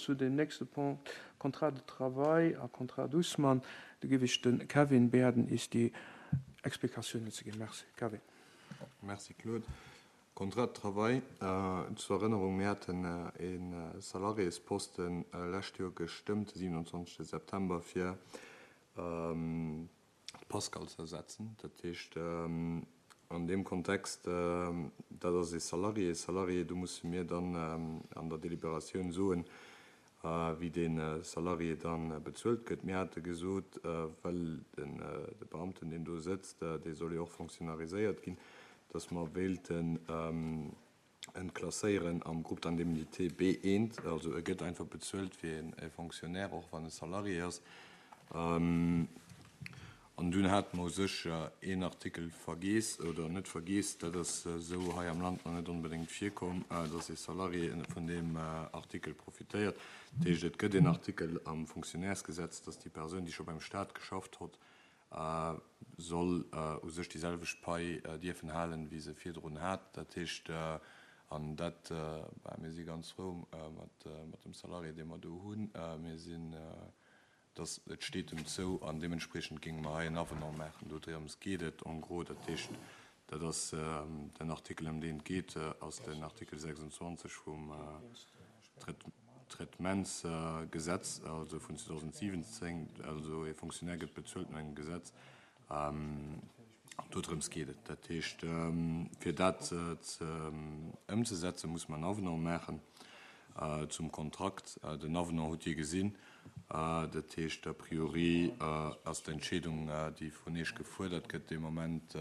Zu deem nächste Punkt, Contrat de travail a Contrat Dussmann, do géif ech de Kevin bieden, is déi Explikatiounen ze ginn. Merci. Kevin. Merci, Claude. Contrat de travail, zur Erënnerung, mir haten e Salariésposten lescht Joer gestëmmt, de 27 September, fir d'Pascale ze ersetzen. Dat heescht, an deem Kontext, dat ass ee Salarié, Salarié, do musse mir dann an der Deliberatioun soen, wéi dee Salarié da bezuelt gëtt. Mir hate gesot, well de Beamten, deen do sëtzt, dee soll jo och fonctionnariséiert ginn, datt mer wéilten en klasséieren am Groupe d'indemnité B1, also e gëtt einfach bezuelt wéi e Fonctionnaire, och wann e Salarié ass. An dunn hate mer u sech een Artikel vergeess, oder net vergeess, dat ass esou hei am Land nach net onbedéngt virkomm, dass ee Salarié vun deem Artikel profitéiert. Dat heescht, et gëtt een Artikel am Fonctionnairesgesetz, dass déi Persoun, déi scho beim Stat geschafft hott, soll u sech déi selwecht Pai dierfen halen, wéi se virdrun hat. Dat heescht, an dat, bah, mir si ganz frou mat dem Salarié, dee mer do hunn. Mir sinn, dass, et steet em zou an deementspriechend géinge mer hei en Avenant maachen. Dodrëms geet et en gros. Dat heescht, dat ass den Artikel, ëm deen et geet, ass den Artikel 26 vum Traitementsgesetz, also vun 2017, also ee Fonctionnaire gëtt bezuelt no engem Gesetz, dodrëms geet et. Dat heescht, fir dat ëmzesetzen, muss mer en Avenant maachen zum Kontrakt. Den Avenant hutt Dir gesinn. Dat heescht, a priori ass d'Entscheedung, déi vun Iech gefuerdert gëtt dee Moment,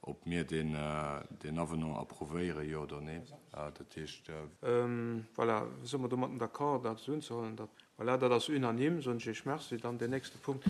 Ob mir deen Avenant approuvéieren, jo oder nee. Dat heescht. Voilà, si mer domatten d'accord, dat esou unzehuelen? Dat, voilà, dat ass unanime, soen ech Iech Merci. Dann deen nächste Punkt.